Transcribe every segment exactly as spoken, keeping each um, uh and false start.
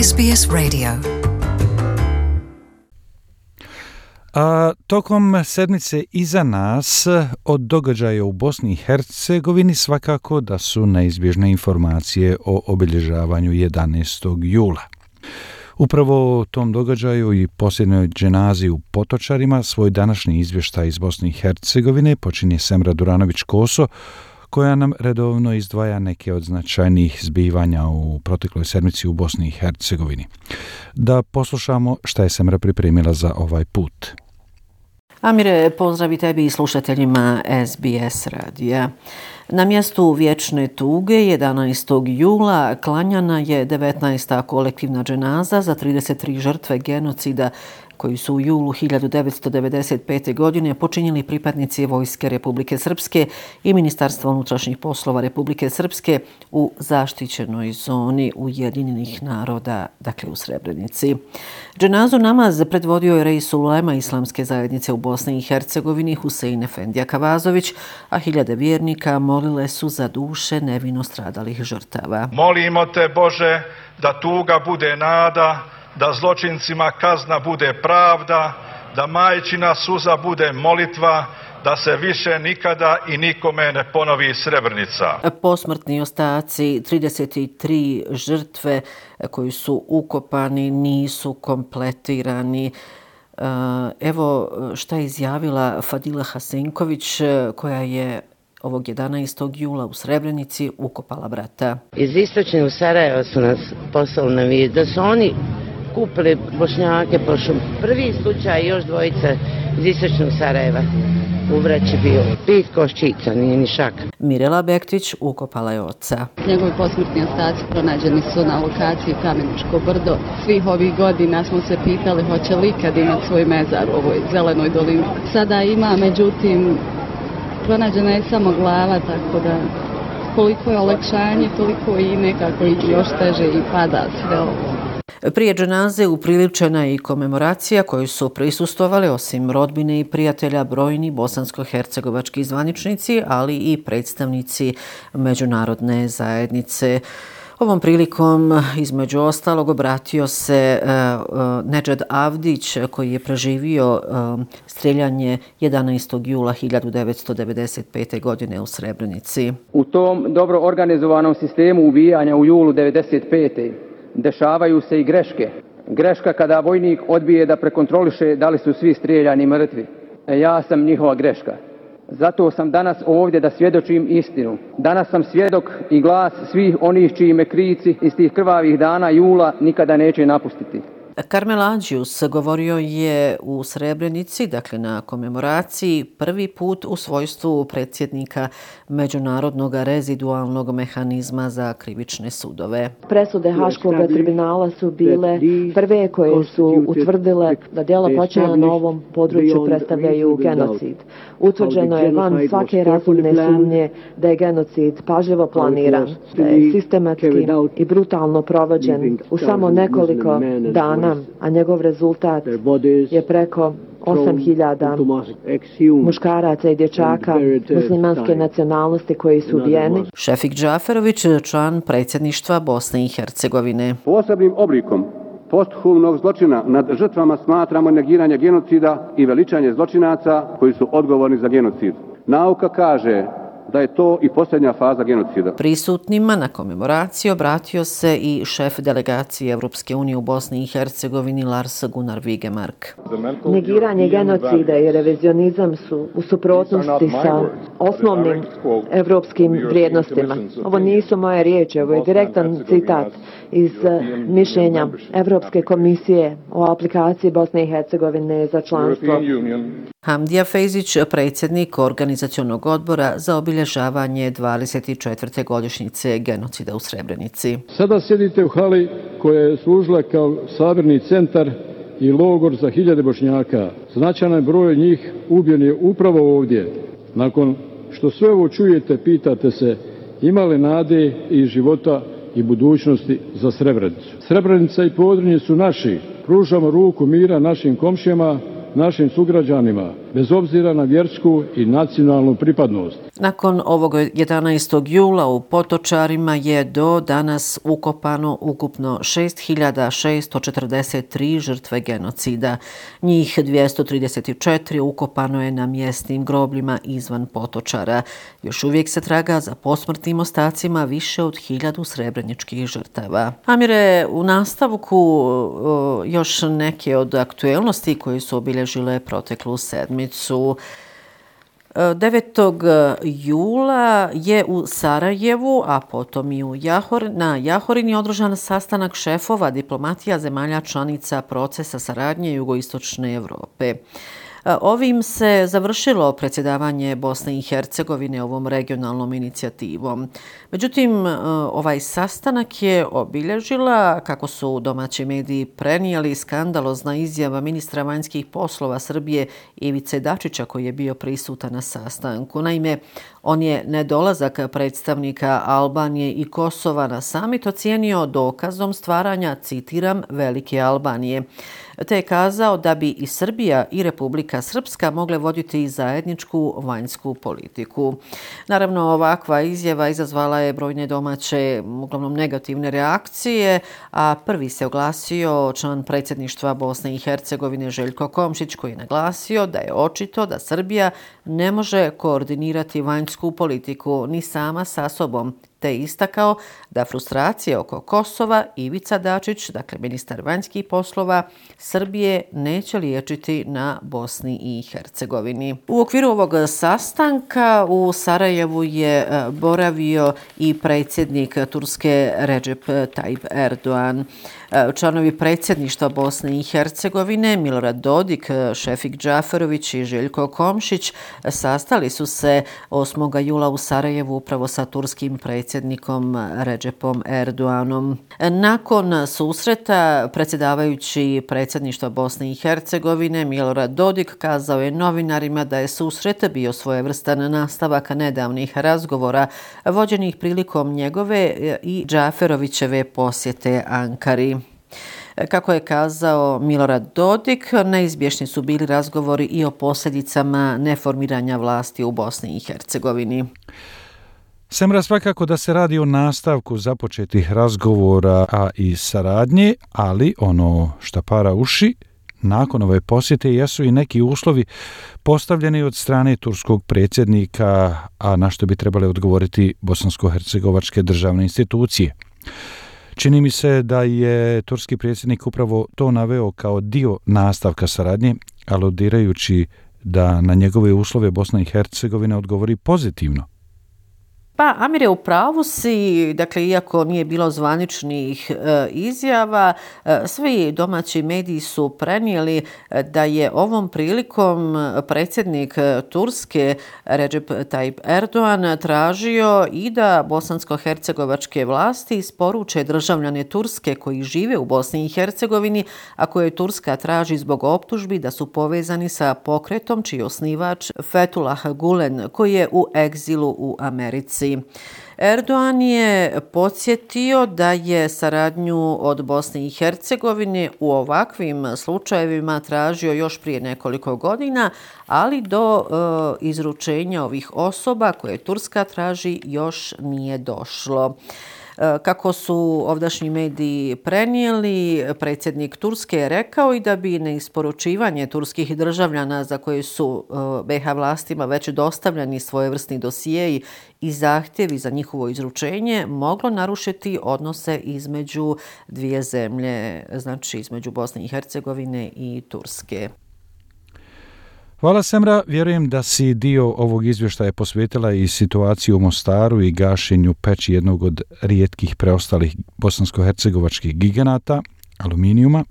S B S Radio. A tokom sedmice iza nas od događaja u Bosni i Hercegovini svakako da su neizbježne informacije o obilježavanju jedanaestog jula. Upravo o tom događaju i posljednjoj dženazi u Potočarima svoj današnji izvještaj iz Bosne i Hercegovine počinje Semra Duranović-Koso, koja nam redovno izdvaja neke od značajnijih zbivanja u protekloj sedmici u Bosni i Hercegovini. Da poslušamo šta je Semra pripremila za ovaj put. Amire, pozdrav i tebi i slušateljima S B S radija. Na mjestu vječne tuge jedanaestog jula klanjana je devetnaesta kolektivna dženaza za trideset tri žrtve genocida koji su u julu hiljadu devetsto devedeset pete. godine počinili pripadnici Vojske Republike Srpske i Ministarstva unutrašnjih poslova Republike Srpske u zaštićenoj zoni Ujedinjenih naroda, dakle u Srebrenici. Dženazu namaz predvodio je Reis ulema Islamske zajednice u Bosni i Hercegovini Husein Efendija Kavazović, a hiljade vjernika molile su za duše nevino stradalih žrtava. Molimo te, Bože, da tuga bude nada, da zločincima kazna bude pravda, da majčina suza bude molitva, da se više nikada i nikome ne ponovi Srebrenica. Posmrtni ostaci trideset tri žrtve koji su ukopani nisu kompletirani. Evo šta je izjavila Fadila Hasenković, koja je ovog jedanaestog jula u Srebrenici ukopala brata. Iz istočne u Sarajevo su nas poslali na vijest da su oni kupili Bošnjake, pošto prvi slučaj još dvojice iz istočnog Sarajeva u vreći bio. Pet koščica, nije ni šak. Mirela Bektić ukopala je oca. Njegovi posmrtni ostaci pronađeni su na lokaciji Kameničko brdo. Svih ovih godina smo se pitali hoće li ikad imati svoj mezar u ovoj zelenoj dolini. Sada ima, međutim, pronađena je samo glava, tako da koliko je olakšanje, toliko i nekako još teže i pada sve ovo. Prije dženaze upriličena je i komemoracija koju su prisustvovali osim rodbine i prijatelja brojni bosansko-hercegovački zvaničnici, ali i predstavnici međunarodne zajednice. Ovom prilikom, između ostalog, obratio se uh, Nedžad Avdić, koji je preživio uh, streljanje jedanaestog jula hiljadu devetsto devedeset pete. godine u Srebrenici. U tom dobro organizovanom sistemu ubijanja u julu devedeset pete. dešavaju se i greške. Greška kada vojnik odbije da prekontroliše da li su svi strijeljani mrtvi. E, ja sam njihova greška. Zato sam danas ovdje da svjedočim istinu. Danas sam svjedok i glas svih onih čiji me krici iz tih krvavih dana jula nikada neće napustiti. Karmel Adžius govorio je u Srebrenici, dakle na komemoraciji, prvi put u svojstvu predsjednika Međunarodnog rezidualnog mehanizma za krivične sudove. Presude Haškog tribunala su bile prve koje su utvrdile da djela počinjena na ovom području predstavljaju genocid. Utvrđeno je van svake razumne sumnje da je genocid pažljivo planiran, da je sistematski i brutalno provođen u samo nekoliko dana, a njegov rezultat je preko osam hiljada muškaraca i dječaka muslimanske nacionalnosti koji su ubijeni. Šefik Džaferović, član predsjedništva Bosne i Hercegovine. Posebnim oblikom posthumnog zločina nad žrtvama smatramo negiranje genocida i veličanje zločinaca koji su odgovorni za genocid. Nauka kaže da je to i posljednja faza genocida. Prisutnima na komemoraciji obratio se i šef delegacije Europske unije u Bosni i Hercegovini Lars Gunnar Vigemark. Negiranje genocida i revizionizam su u suprotnosti sa osnovnim evropskim vrijednostima. Ovo nisu moje riječi, ovo je direktan citat iz mišljenja Evropske komisije o aplikaciji Bosne i Hercegovine za članstvo. Hamdija Fejzić, predsjednik organizacionog odbora za obilježavanje dvadeset četvrte godišnjice genocida u Srebrenici. Sada sjedite u hali koja je služila kao sabirni centar i logor za hiljade Bošnjaka. Značajan broj njih ubijen je upravo ovdje. Nakon što sve ovo čujete, pitate se ima li nade i života i budućnosti za Srebrenicu. Srebrenica i Podrinje su naši. Pružamo ruku mira našim komšijama, našim sugrađanima. bez obzira na vjersku i nacionalnu pripadnost. Nakon ovog jedanaestog jula u Potočarima je do danas ukopano ukupno šest hiljada šesto četrdeset tri žrtve genocida. Njih dvjesto trideset četiri ukopano je na mjesnim grobljima izvan Potočara. Još uvijek se traga za posmrtnim ostacima više od hiljadu srebreničkih žrtava. Amire, u nastavku još neke od aktuelnosti koje su obilježile proteklu sedmicu. devetog jula je u Sarajevu, a potom i u Jahor, na Jahorini održan sastanak šefova diplomatija zemalja članica procesa saradnje jugoistočne Europe. Ovim se završilo predsjedavanje Bosne i Hercegovine ovom regionalnom inicijativom. Međutim, ovaj sastanak je obilježila, kako su domaći mediji prenijeli, skandalozna izjava ministra vanjskih poslova Srbije Ivice Dačića koji je bio prisutan na sastanku. Naime, on je nedolazak predstavnika Albanije i Kosova na samit ocijenio dokazom stvaranja, citiram, velike Albanije, te je kazao da bi i Srbija i Republika Srpska mogle voditi zajedničku vanjsku politiku. Naravno, ovakva izjava izazvala je brojne domaće, uglavnom negativne reakcije, a prvi se oglasio član predsjedništva Bosne i Hercegovine Željko Komšić koji je naglasio da je očito da Srbija ne može koordinirati vanjsku politiku ni sama sa sobom, te istakao da frustracije oko Kosova Ivica Dačić, dakle ministar vanjskih poslova Srbije, neće liječiti na Bosni i Hercegovini. U okviru ovog sastanka u Sarajevu je boravio i predsjednik Turske Recep Tayyip Erdogan. Članovi predsjedništva Bosne i Hercegovine Milorad Dodik, Šefik Džaferović i Željko Komšić sastali su se osmog jula u Sarajevu upravo sa turskim predsjednikom Recepom Erdoganom. Nakon susreta predsjedavajući predsjedništva Bosne i Hercegovine Milorad Dodik kazao je novinarima da je susret bio svojevrstan nastavak nedavnih razgovora vođenih prilikom njegove i Džaferovićeve posjete Ankari. Kako je kazao Milorad Dodik, neizbježni su bili razgovori i o posljedicama neformiranja vlasti u Bosni i Hercegovini. Semra, svakako da se radi o nastavku započetih razgovora, a i saradnje, ali ono šta para uši, nakon ove posjete jesu i neki uslovi postavljeni od strane turskog predsjednika, a na što bi trebale odgovoriti bosansko-hercegovačke državne institucije. Čini mi se da je turski predsjednik upravo to naveo kao dio nastavka saradnje, aludirajući da na njegove uslove Bosna i Hercegovina odgovori pozitivno. Pa, Amire, u pravu si, dakle, iako nije bilo zvaničnih e, izjava, e, svi domaći mediji su prenijeli da je ovom prilikom predsjednik Turske Recep Tayyip Erdogan tražio i da bosansko-hercegovačke vlasti isporuče državljane Turske koji žive u Bosni i Hercegovini, a koje Turska traži zbog optužbi da su povezani sa pokretom čiji je osnivač Fethullah Gulen, koji je u egzilu u Americi. Erdogan je podsjetio da je saradnju od Bosne i Hercegovine u ovakvim slučajevima tražio još prije nekoliko godina, ali do e, izručenja ovih osoba koje Turska traži još nije došlo. Kako su ovdašnji mediji prenijeli, predsjednik Turske je rekao i da bi neisporučivanje turskih državljana za koje su be ha vlastima već dostavljeni svojevrsni dosijeji i zahtjevi za njihovo izručenje moglo narušiti odnose između dvije zemlje, znači između Bosne i Hercegovine i Turske. Hvala, Semra. Vjerujem da si dio ovog izvještaja posvetila i situaciju u Mostaru i gašenju peći jednog od rijetkih preostalih bosansko-hercegovačkih giganata, aluminijuma.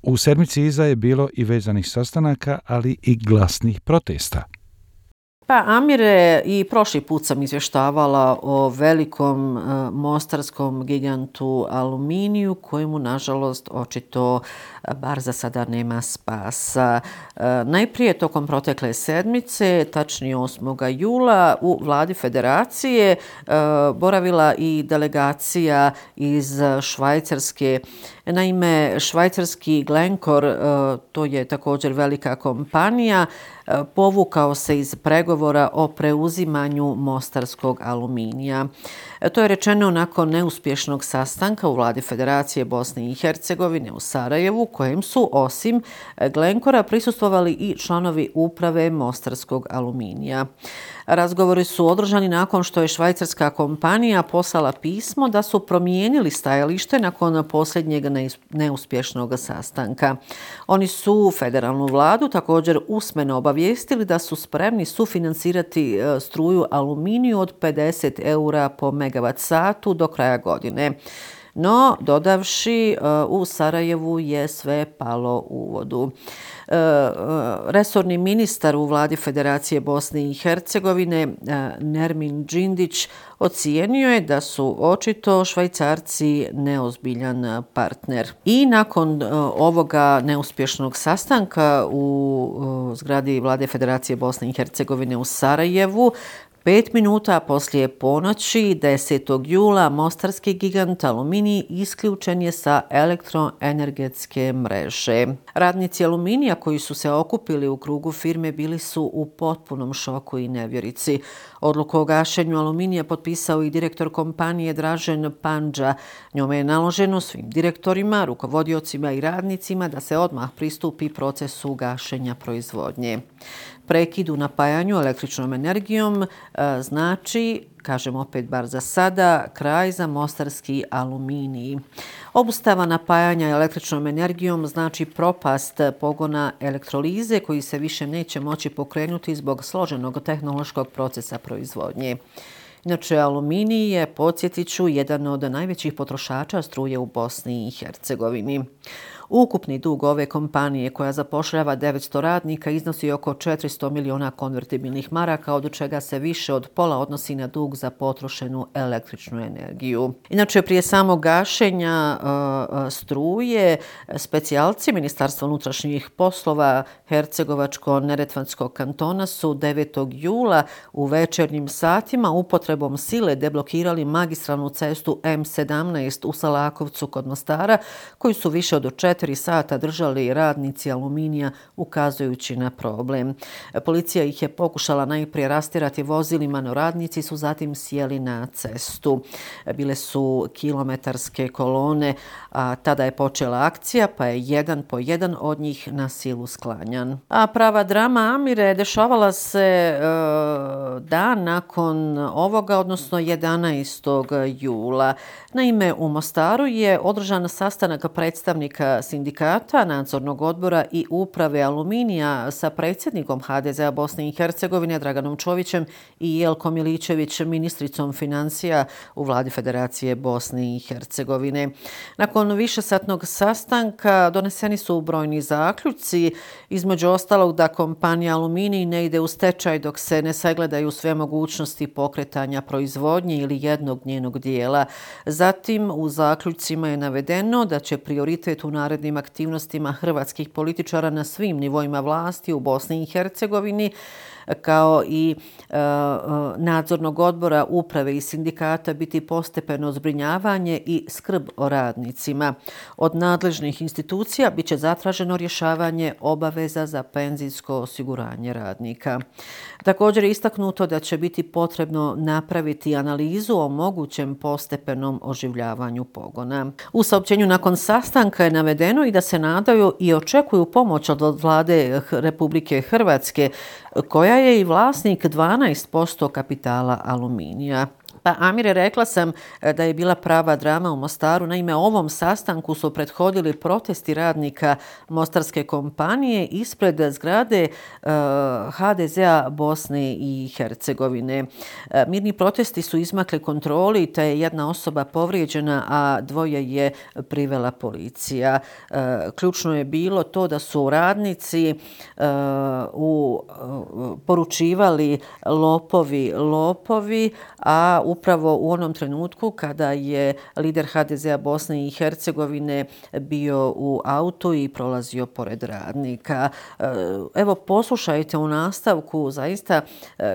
U sedmici iza je bilo i vezanih sastanaka, ali i glasnih protesta. Pa Amire, i prošli put sam izvještavala o velikom uh, mostarskom gigantu Aluminiju kojemu nažalost očito bar za sada nema spasa. Uh, najprije tokom protekle sedmice, tačnije osmog jula, u vladi federacije uh, boravila i delegacija iz Švajcarske. Naime, švajcarski Glencore, to je također velika kompanija, povukao se iz pregovora o preuzimanju mostarskog aluminija. To je rečeno nakon neuspješnog sastanka u vladi Federacije Bosne i Hercegovine u Sarajevu, kojem su osim Glencora prisustvovali i članovi uprave mostarskog aluminija. Razgovori su održani nakon što je švajcarska kompanija poslala pismo da su promijenili stajalište nakon posljednjeg neuspješnog sastanka. Oni su federalnu vladu također usmeno obavijestili da su spremni sufinancirati struju aluminiju od pedeset eura po megavat satu do kraja godine. No, dodavši, u Sarajevu je sve palo u vodu. Resorni ministar u vladi Federacije Bosne i Hercegovine, Nermin Džindić, ocijenio je da su očito Švajcarci neozbiljan partner. I nakon ovoga neuspješnog sastanka u zgradi vlade Federacije Bosne i Hercegovine u Sarajevu, Pet minuta poslije ponoći, desetog jula, mostarski gigant Aluminij isključen je sa elektroenergetske mreže. Radnici Aluminija koji su se okupili u krugu firme bili su u potpunom šoku i nevjerici. Odluku o gašenju Aluminija potpisao i direktor kompanije Dražen Pandža. Njome je naloženo svim direktorima, rukovodiocima i radnicima da se odmah pristupi procesu gašenja proizvodnje. Prekid u napajanju električnom energijom e, znači, kažem opet bar za sada, kraj za mostarski Aluminij. Obustava napajanja električnom energijom znači propast pogona elektrolize koji se više neće moći pokrenuti zbog složenog tehnološkog procesa proizvodnje. Inače, Aluminij je, podsjetit ću, jedan od najvećih potrošača struje u Bosni i Hercegovini. Ukupni dug ove kompanije, koja zapošljava devetsto radnika, iznosi oko četiristo miliona konvertibilnih maraka, od čega se više od pola odnosi na dug za potrošenu električnu energiju. Inače, prije samog gašenja uh, struje, specijalci Ministarstva unutrašnjih poslova Hercegovačko-neretvanskog kantona su devetog jula u večernjim satima upotrebom sile deblokirali magistralnu cestu M sedamnaest u Salakovcu kod Mostara, koju su više od četiri sata držali radnici Aluminija ukazujući na problem. Policija ih je pokušala najprije rastjerati vozilima, no radnici su zatim sjeli na cestu. Bile su kilometarske kolone, a tada je počela akcija, pa je jedan po jedan od njih na silu sklanjan. A prava drama Amire dešavala se e, dan nakon ovoga, odnosno jedanaestog jula. Naime, u Mostaru je održan sastanak predstavnika sindikata, nadzornog odbora i uprave Aluminija sa predsjednikom H D Z-a Bosne i Hercegovine Draganom Čovićem i Jelkom Miličević, ministricom financija u vladi Federacije Bosne i Hercegovine. Nakon višesatnog sastanka doneseni su brojni zaključci, između ostalog da kompanija Aluminij ne ide u stečaj dok se ne sagledaju sve mogućnosti pokretanja proizvodnje ili jednog njenog dijela. Zatim u zaključcima je navedeno da će prioritet u narednim aktivnostima hrvatskih političara na svim nivoima vlasti u Bosni i Hercegovini kao i e, nadzornog odbora, uprave i sindikata biti postepeno zbrinjavanje i skrb o radnicima. Od nadležnih institucija bit će zatraženo rješavanje obaveza za penzijsko osiguranje radnika. Također je istaknuto da će biti potrebno napraviti analizu o mogućem postepenom oživljavanju pogona. U saopćenju nakon sastanka je navedeno i da se nadaju i očekuju pomoć od vlade Republike Hrvatske, koja je i vlasnik dvanaest posto kapitala Aluminija. Pa Amire, rekla sam da je bila prava drama u Mostaru. Naime, ovom sastanku su prethodili protesti radnika mostarske kompanije ispred zgrade ha de zea Bosne i Hercegovine. Mirni protesti su izmakli kontroli, te je jedna osoba povrijeđena, a dvoje je privela policija. Ključno je bilo to da su radnici u, poručivali lopovi, lopovi, a upravo u onom trenutku kada je lider ha de zea Bosne i Hercegovine bio u autu i prolazio pored radnika. Evo, poslušajte u nastavku zaista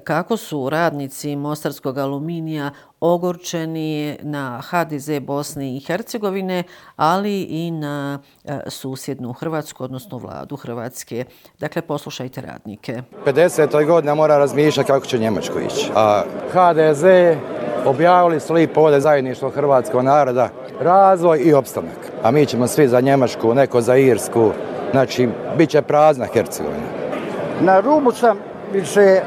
kako su radnici Mostarskog aluminija ogorčeni na ha de ze Bosne i Hercegovine, ali i na susjednu Hrvatsku, odnosno vladu Hrvatske. Dakle, poslušajte radnike. pedesetoj godina mora razmišljati kako će Njemačku ići. A ha de ze objavili su lipo ovdje zajedništvo hrvatskog naroda, razvoj i opstanak. A mi ćemo svi za Njemačku, neko za Irsku, znači bit će prazna Hercegovina. Na rubu sam više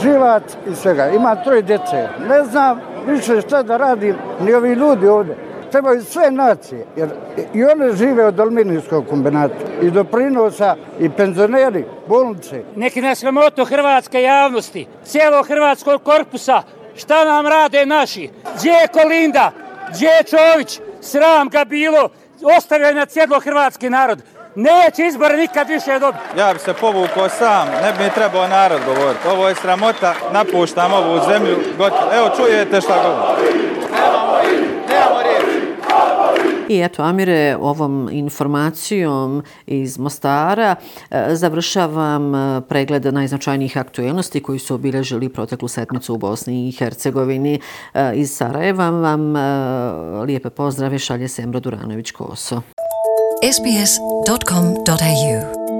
živac i svega. Imam troje djece. Ne znam više šta da radim, ni ovi ljudi ovdje. Trebaju sve nacije, jer i one žive od aluminijskog kombinata. I doprinosa, i penzioneri, bolnice. Neki na sramotu hrvatske javnosti, cijelog hrvatskog korpusa, šta nam rade naši? Gdje je Kolinda? Gdje je Čović? Sram ga bilo, ostavljaju na cijelo hrvatski narod. Neće izbora nikad više dobiti. Ja bi se povukao sam, ne bi mi trebao narod govoriti. Ovo je sramota, napuštam ovu zemlju. Gotovo. Evo, čujete šta govorim. Nemamo riječ, nemamo riječ. I eto, Amire, ovom informacijom iz Mostara završavam pregled najznačajnijih aktuelnosti koji su obilježili proteklu sedmicu u Bosni i Hercegovini. Iz Sarajeva vam lijepe pozdrave šalje Semro Duranović-Koso. es be es dot com dot a u